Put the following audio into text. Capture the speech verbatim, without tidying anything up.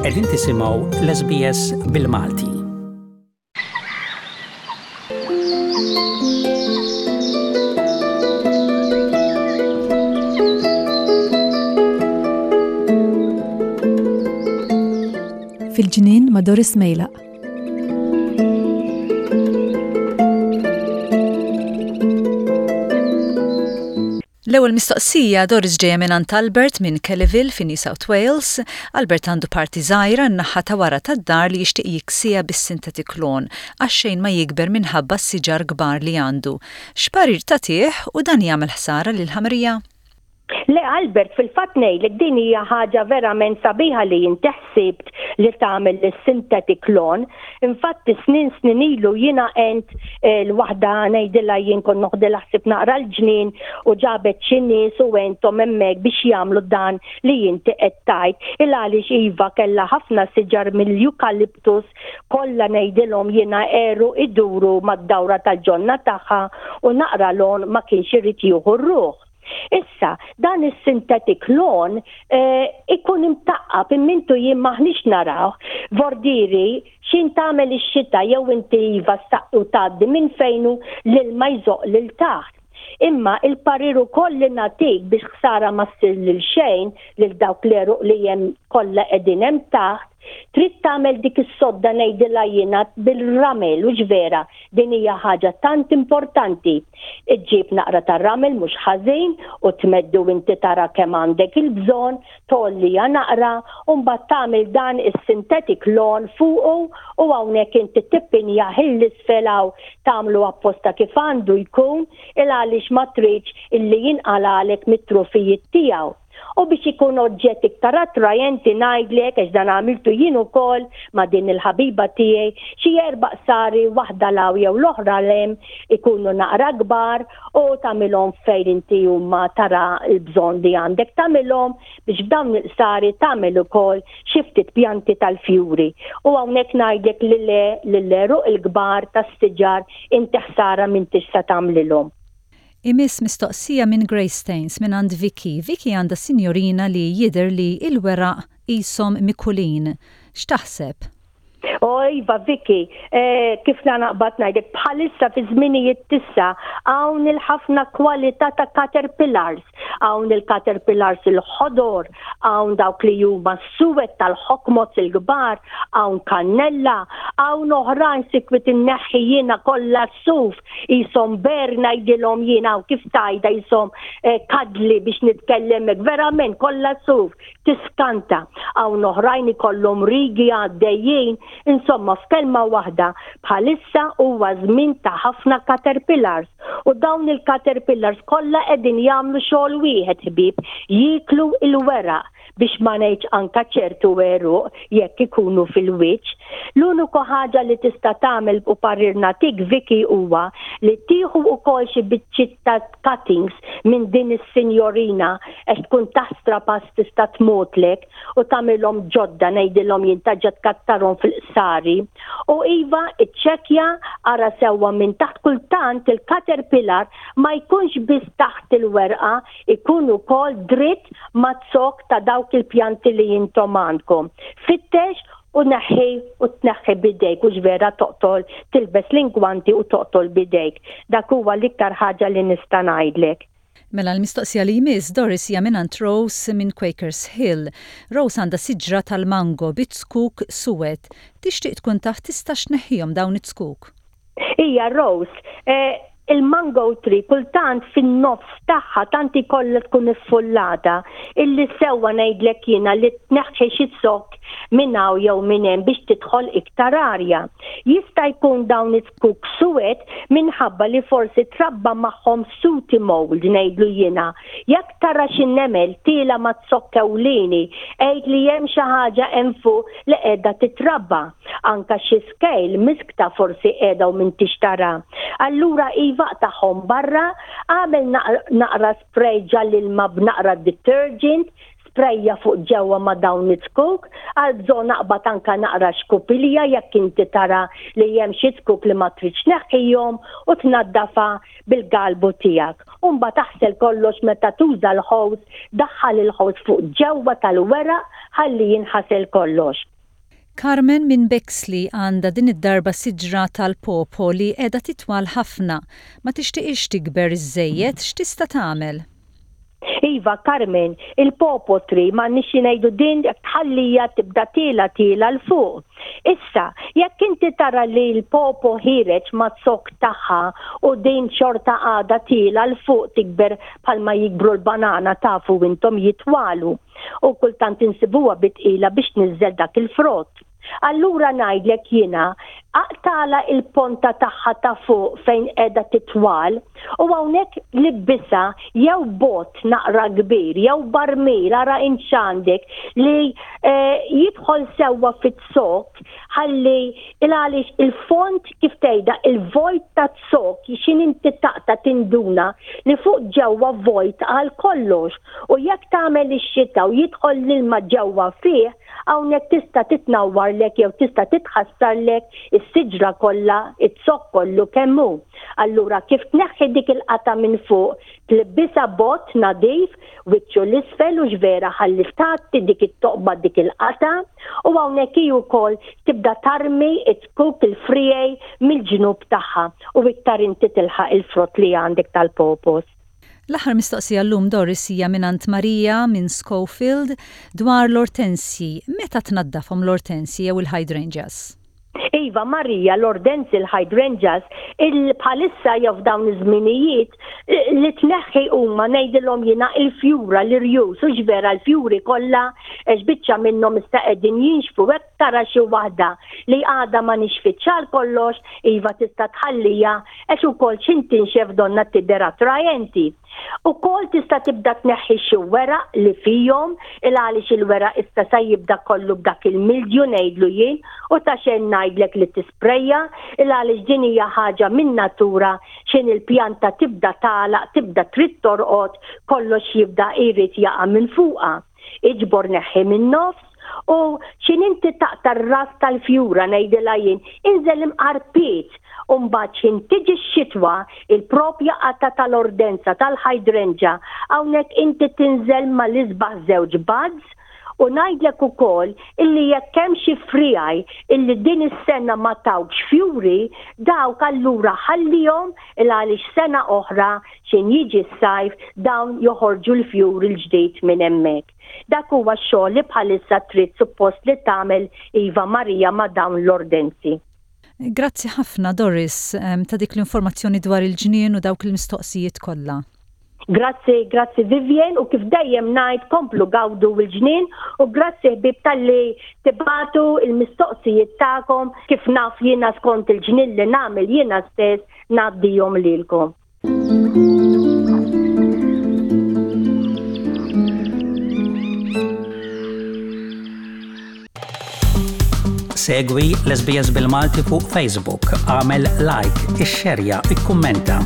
Qegħdin tisimgħu l-S B S bil-Malti. Fil-ġnien ma' Doris Mejlaq. L-ewwel mistoqsija, Doris, ġejja minn Albert minn Kellyville fi New South Wales. Albert għandu parti żgħira n-naħa ta' wara tad-dar li jixtieq jiksija bis-synthetic lawn għax xejn ma jikber minħabba s-siġar kbar li għandu. X'parir tagħtih u dan jagħmel ħsara lil ħamrija? Le, Albert, fil-fatt ngħidlek din hija ħaġa verament sabiħa li inti ħsibt li tagħmel is-synthetic lawn. Infatti snin snin ilu jiena għent eh, l-waħda, ngħidilha jien, kont noħdilha ħsieb naqra l-ġnien u ġabet xi nies u għenthom hemmhekk biex jagħmlu dan li inti qed tgħid. Il għaliex iva, kellha ħafna siġar mill-eucalyptus, kollha, ngħidilhom jiena, għeruq iduru mad-dawra tal-ġonna tagħha u naqra lawn ma kienx irid jieħu r-ruħ. Issa, dan is-synthetic lawn eh, ikun imtaqqab immintu jien maħniex naraw. Vordiri, xin tagħmel ix-xita jew inti iva u tgħaddi minn fejnu l-ilma jżoq lil taħt. Imma il-parir ukoll li nagħtik, biex ħsara ma ssir lil xejn, lil dawk l-għeruq li hemm kollha qegħdin hemm taħt, trid tagħmel dik is-sodda, ngħidilha jiena, bil-ramel, u vera din hija ħaġa tant importanti. Iġġib naqra tar-ramel mhux ħażin u tmeddu, inti tara kemm għandek il-bżonn, tgħollija naqra u mbagħad tagħmel dan is-synthetic lawn fuqu u hawnhekk inti tippinja 'l isfel tagħmlu apposta kif għandu jkun, il għaliex ma tridx illi jinqalalek mit-trufijiet tiegħu. U biex ikun oġġett iktar attrajenti, ngħidlek, għax dan għamiltu jien ukoll ma' din il-ħabiba tiegħi, xi erba' qsari, waħda 'l hawn jew l-oħra 'l hemm, ikunu naqra kbar u tagħmilhom fejn inti huma tara l-bżonn li għandek tagħmilhom, biex f'dawn il-qsari tagħmel ukoll xi ftit pjanti tal-fjuri. U hawnhekk ngħidlek li le l-għeruq il-kbar tas-siġar inti ħsara minn tista' tagħmlilhom. Imiss mistoqsija minn Greystanes minn għand Vicky. Vicky għandha sinjorina li jidher li il-weraq qishom mikulin. X'taħseb? O iva, Vicky, eh, kif naqbad ngħidlek, bħalissa fi żminijiet t'issa hawn il-ħafna kwalità ta' caterpillars. Hawn il-caterpillars il-ħodor, hawn dawk li huma suwed tal-hawkmoths il-kbar, hawn kannella, hawn oħrajn sikwit inneħħi jiena kollha suf, qishom ber, ngħidilhom jiena, u kif tajda qishom eh, kadli biex nitkellemek, verament kollha suf, tiskanta. Hawn oħrajn ikollhom rigi għaddejjin. Insomma, f'kelma waħda, bħalissa huwa żmien ta' ħafna caterpillars u dawn il-caterpillars kollha qegħdin jagħmlu xogħol wieħed, ħbieb, jiklu il-weraq, biex ma ngħidx anka ċertu għeruq jekk ikunu fil-wiċċ. L-uniku ħaġa li tista' tagħmel u parir nagħtik, Vicky, huwa li tieħu wkoll xi biċċiet ta' cuttings minn din is-sinjorina, għax tkun taħstra pass tista' tmutlek, u tagħmilhom ġodda, ngħidilhom jien, taġġa tkattarhom fil-qsari. U iva, iċċekkja, ara sewwa minn taħt. Kultant il-caterpillar ma jkunx biss taħt il-werqa, ikun ukoll dritt maz-zokk ta' dawk il-pjanti li intom għandkom. Fittex u neħħi u tneħħi bidejk, u vera toqtol, tilbes l-ingwanti u toqtol bidejk. Dak huwa l-iktar ħaġa li nista' ngħidlek. Mela l-mistoqsija li jmiss, Doris, hija minn Rose minn Quakers Hill. Rose għandha siġra tal-mango bit-zkuk suwed. Tixtieq tkun taf tistax tneħħihom dawn it-zkuk. Ija Rose, eh, il-mango tree kultant fin-nofs tagħha tant ikollha tkun iffullata illi sewwa, ngħidlek jiena, li tneħħi xi zokk minn hawn jew minn hemm biex tidħol iktar arja. Jista' jkun dawn it-zkuk suwed minħabba li forsi trabba magħhom sooty mold, ngħidlu jiena. Jekk tara xi nemel tiela' maz-zokk ewlieni, għid li hemm xi ħaġa hemm fuq li qiegħda titrabba. Anka xi scale miskta forsi qiegħda u m'intix tara. Allura iva, tagħhom barra, għamel naqra spray ġall-ilma b'naqra detergent, sprejja fuq ġewwa ma' dawn it-zkuk, għal bżonn naqbad anka naqra xkupilja jekk inti tara li hemm xi zkuk li ma tridx tneħħihom, u tnaddafa bil-galbu tiegħek. U mbagħad taħsel kollox meta tuża l-hose, daħħal il-hose fuq ġewwa tal-weraq ħalli jinħasel kollox. Carmen minn Bexley għandha din id-darba siġra tal-pawpaw li qiegħda titwal ħafna. Ma tixtieqx tikber iżżejjed, x'tista' tagħmel? Iva, Carmen, il-pawpaw tree ma nixi ngħidu din tħallija tibda tiela' tiela' 'l fuq. Issa, jekk inti tara li l-pawpaw ħiereġ maz-zokk tagħha u din xorta għadha tiela' 'l fuq tikber bħalma jikbru l-banana, tafu intom, jitwalu. U kultant insibuha bi tqila biex tniżżel dak il-frott. Allura ngħidlek jiena, aqtagħlha il-ponta tagħha ta' fuq fejn qiegħda titwal u hawnhekk libbisha jew bott naqra kbir jew barmil, ara x'għandek li eh, jidħol sewwa fit-zokk, ħalli il għaliex il-font, kif tgħidha, il-vojt ta' zokk, x'ħin inti taqta' tinduna li fuq ġewwa vojt għal kollox u jekk tagħmel ix-xita u jidħol l-ilma ġewwa fih, hawnhekk tista' titnawwarlek jew tista' titħassarlek is-siġra kollha, iz-zokk kollu kemm hu. Allura kif tneħħi dik il-qata minn fuq, tlibbisha bott nadif, wiċċu 'l isfel u vera ħalli tgħatti dik it-toqba, dik il-qata, u hawnhekk hi wkoll tibda tarmi it-tkuk il-friegħi mill-ġnub tagħha u iktar inti tilħaq il-frott li għandek tal-pawpaws. L-aħħar mistoqsija llum, Doris, hija minn Marija minn Schofield dwar l-ortensi. Meta tnaddafhom l-ortensi jew il-hydrangeas? Iva Marija, l-ortensi, l-hydrangeas, il bħalissa jew f'dawn iż-żminijiet li tneħħi huma, ngħidilhom jiena, il-fjura, l-irjus, u vera l-fjuri kollha, għax biċċa minnhom issa qegħdin jinxfu. Hekk tara xi waħda li għadha ma nixfitx għal kollox, iva, tista' tħallija għax ukoll x'ħin tinxef donnha tidher attrajenti. Ukoll tista' tibda tneħħi xi weraq li fihom, il għaliex il-weraq issa sa jibda kollu b'dak il-mildew, ngħidlu jien, u ta' xejn ngħidlek li tisprejja, il għaliex din hija ħaġa minn natura, x'ħin il-pjanta tibda tagħlaq, tibda trid torqod, kollox jibda jrid jaqa' minn fuqha. Iġbor, neħħi minn nofs u x'ħin inti taqta' r-ras tal-fjura, ngħidilha jien, inżel imqar pied u mbagħad x'ħin tiġi x-xitwa, il-propja qata tal-ortenza, tal-hydrangea, hawnhekk inti tinżel mal-isbaħ żewġ buds. U ngħidlek ukoll illi jekk hemm xi friegħi illi din is-sena ma tawkx fjuri, dawk allura ħallihom, il għaliex sena oħra x'ħin jiġi s-sajf dawn joħorġu l-fjuri l-ġdid minn hemmhekk. Dak huwa x-xogħol li bħalissa trid suppost li tagħmel, iva Marija, ma' dawn l-ortensi. Grazzi ħafna, Doris, ta' dik l-informazzjoni dwar il-ġnien u dawk il-mistoqsijiet kollha. Grazzi, grazzi Vivian, u kif dejjem ngħid, komplu gawdu l-ġnien u grazzi ħbieb talli tibagħtu il-mistoqsijiet tagħkom, kif naf jiena skont il-ġnien li nagħmel jiena stess ngħaddihom lilkom. Segwi l-S B S bil-Malti fuq Facebook, agħmel like, ixxerja, ikkummenta.